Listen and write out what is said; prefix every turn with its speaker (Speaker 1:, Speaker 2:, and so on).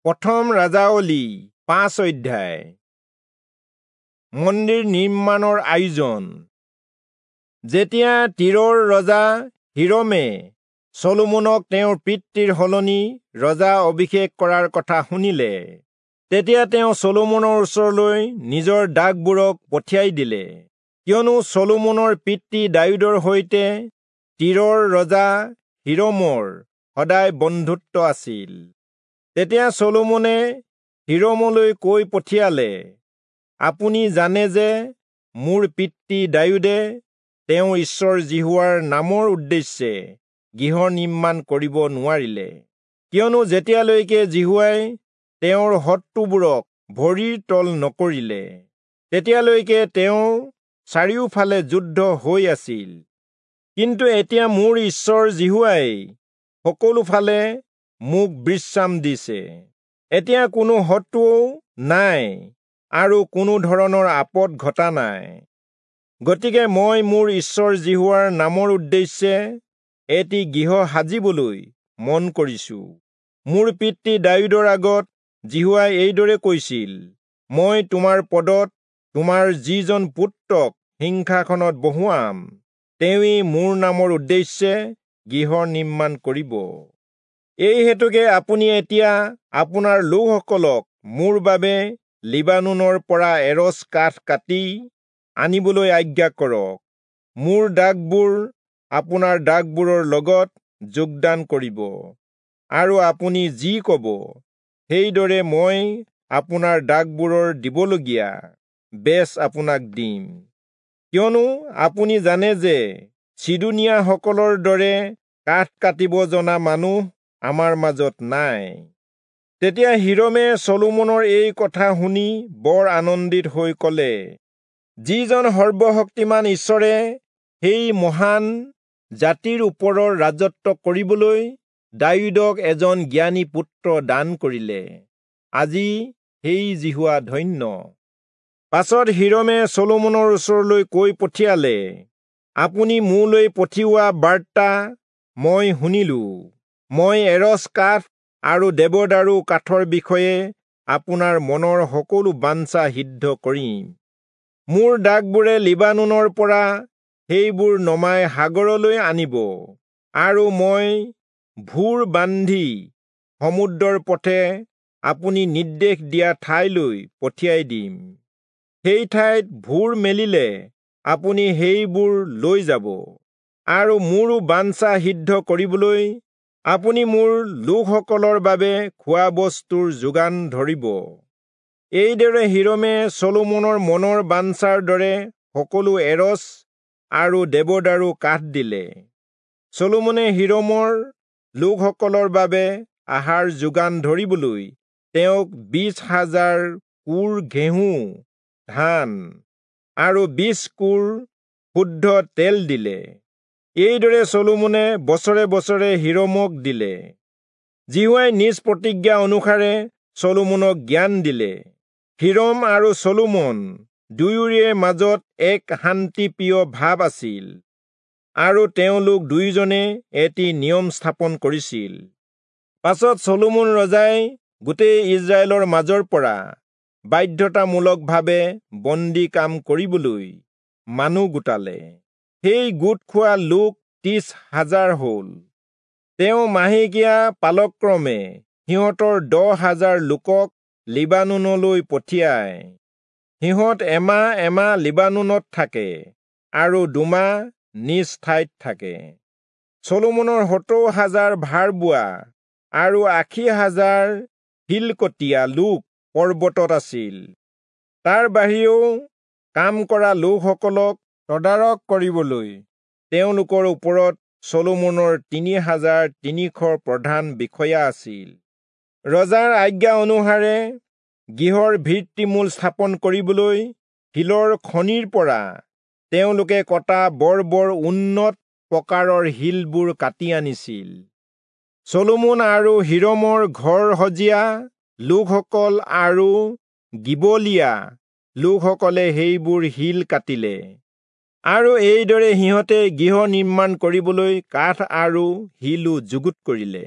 Speaker 1: প্ৰথম ৰাজাৱলী 5 অধ্যায়। মন্দিৰ নিৰ্মাণৰ আয়োজন। যেতিয়া তীৰৰ ৰজা হিৰমে চলোমনক তেওঁৰ পিতৃৰ সলনি ৰজা অভিষেক কৰাৰ কথা শুনিলে, তেতিয়া তেওঁ চলোমনৰ ওচৰলৈ নিজৰ দাসবোৰক পঠিয়াই দিলে, কিয়নো চলোমনৰ পিতৃ দায়ূদৰ সৈতে তীৰৰ ৰজা হিৰমৰ সদায় বন্ধুত্ব আছিল। তেতিয়া চলোমনে হিৰমলৈ কৈ পঠিয়ালে, আপুনি জানে যে মোৰ পিতৃ দায়ূদে তেওঁৰ ঈশ্বৰ যিহোৱাৰ নামৰ উদ্দেশ্যে গৃহ নিৰ্মাণ কৰিব নোৱাৰিলে, কিয়নো যেতিয়ালৈকে যিহোৱাই তেওঁৰ শত্ৰুবোৰক ভৰিৰ তল নকৰিলে, তেতিয়ালৈকে তেওঁৰ চাৰিওফালে যুদ্ধ হৈ আছিল। কিন্তু এতিয়া মোৰ ঈশ্বৰ যিহোৱাই সকলোফালে মোক বিশ্ৰাম দিছে। এতিয়া কোনো শত্ৰুও নাই আৰু কোনো ধৰণৰ আপদ ঘটা নাই। গতিকে মই মোৰ ঈশ্বৰ যিহোৱাৰ নামৰ উদ্দেশ্যে এটি গৃহ সাজিবলৈ মন কৰিছো। মোৰ পিতৃ দায়ূদৰ আগত যিহোৱাই এইদৰে কৈছিল, মই তোমাৰ পদত তোমাৰ যিজন পুত্ৰক সিংহাসনত বহুৱাম, তেওঁৱেই মোৰ নামৰ উদ্দেশ্যে গৃহ নিৰ্মাণ কৰিব। এই হেতুকে আপুনি এতিয়া আপোনাৰ লোকসকলক মোৰ বাবে লিবানোনৰ পৰা এৰচ কাঠ কাটি আনিবলৈ আজ্ঞা কৰক। মোৰ দাসবোৰ আপোনাৰ দাসবোৰৰ লগত যোগদান কৰিব, আৰু আপুনি যি কব সেইদৰে মই আপোনাৰ দাসবোৰৰ দিবলগীয়া বেচ আপোনাক দিম। কিয়নো আপুনি জানে যে চিদোনীয়াসকলৰ দৰে কাঠ কাটিব জনা মানুহ আমাৰ মাজত নাই। তেতিয়া হিৰমে চলোমনৰ এই কথা শুনি বৰ আনন্দিত হৈ কলে, যিজন সৰ্বশক্তিমান ঈশ্বৰে সেই মহান জাতিৰ ওপৰৰ ৰাজত্ব কৰিবলৈ দায়ূদক এজন জ্ঞানী পুত্ৰ দান কৰিলে, আজি সেই যিহোৱা ধন্য। পাছত হিৰমে চলোমনৰ ওচৰলৈ কৈ পঠিয়ালে, আপুনি মোলৈ পঠিওৱা বাৰ্তা মই শুনিলো। মই এৰচ কাঠ আৰু দেৱদাৰু কাঠৰ বিষয়ে আপোনাৰ মনৰ সকলো বাঞ্ছা সিদ্ধ কৰিম। মোৰ দাসবোৰে লিবানোনৰ পৰা সেইবোৰ নমাই সাগৰলৈ আনিব, আৰু মই ভূৰ বান্ধি সমুদ্ৰৰ পথে আপুনি নিৰ্দেশ দিয়া ঠাইলৈ পঠিয়াই দিম। সেই ঠাইত ভূৰ মেলিলে আপুনি সেইবোৰ লৈ যাব, আৰু মোৰো বাঞ্ছা সিদ্ধ কৰিবলৈ আপুনি মোৰ লোকসকলৰ বাবে খোৱা বস্তুৰ যোগান ধৰিব। এইদৰে হিৰমে চলোমনৰ মনৰ বাঞ্ছাৰ দৰে সকলো এৰচ আৰু দেৱদাৰু কাঠ দিলে। চলোমনে হিৰমৰ লোকসকলৰ বাবে আহাৰ যোগান ধৰিবলৈ তেওঁক 20,000 কোৰ ঘেঁহু ধান আৰু 20 কোৰ শুদ্ধ তেল দিলে। এইদৰে চলোমনে বছৰে বছৰে হিৰমক দিলে। যিহোৱাই নিজ প্ৰতিজ্ঞা অনুসাৰে চলোমনক জ্ঞান দিলে। হিৰম আৰু চলোমন দুয়োৰে মাজত এক শান্তিপ্ৰিয় ভাৱ আছিল, আৰু তেওঁলোক দুয়োজনে এটি নিয়ম স্থাপন কৰিছিল। পাছত চলোমন ৰজাই গোটেই ইজৰাইলৰ মাজৰ পৰা বাধ্যতামূলকভাৱে বন্দী কাম কৰিবলৈ মানুহ গোটালে। সেই গোট খোৱা লোক 30,000 হল। তেওঁ মাহেকীয়া পালক্ৰমে সিহঁতৰ 10,000 লোকক লিবানোনলৈ পঠিয়ায়। সিহঁত এমাহ এমাহ লিবানোনত থাকে আৰু 2 মাহ নিজ ঠাইত থাকে। চলোমনৰ 70,000 ভাৰ বোৱা আৰু 80,000 শিলকটীয়া লোক পৰ্বতত আছিল। তাৰ বাহিৰেও কাম কৰা লোকসকলক তদাৰক কৰিবলৈ তেওঁলোকৰ ওপৰত চলোমনৰ 3,300 প্ৰধান বিষয়া আছিল। ৰজাৰ আজ্ঞা অনুসাৰে গৃহৰ ভিত্তিমূল স্থাপন কৰিবলৈ শিলৰ খনিৰ পৰা তেওঁলোকে কটা বৰ বৰ উন্নত প্ৰকাৰৰ শিলবোৰ কাটি আনিছিল। চলোমন আৰু হিৰমৰ ঘৰ সজীয়া লোকসকল আৰু গিবলীয়া লোকসকলে সেইবোৰ শিল কাটিলে, আৰু এইদৰে সিহঁতে গৃহ নিৰ্মাণ কৰিবলৈ কাঠ আৰু শিলো যুগুত কৰিলে।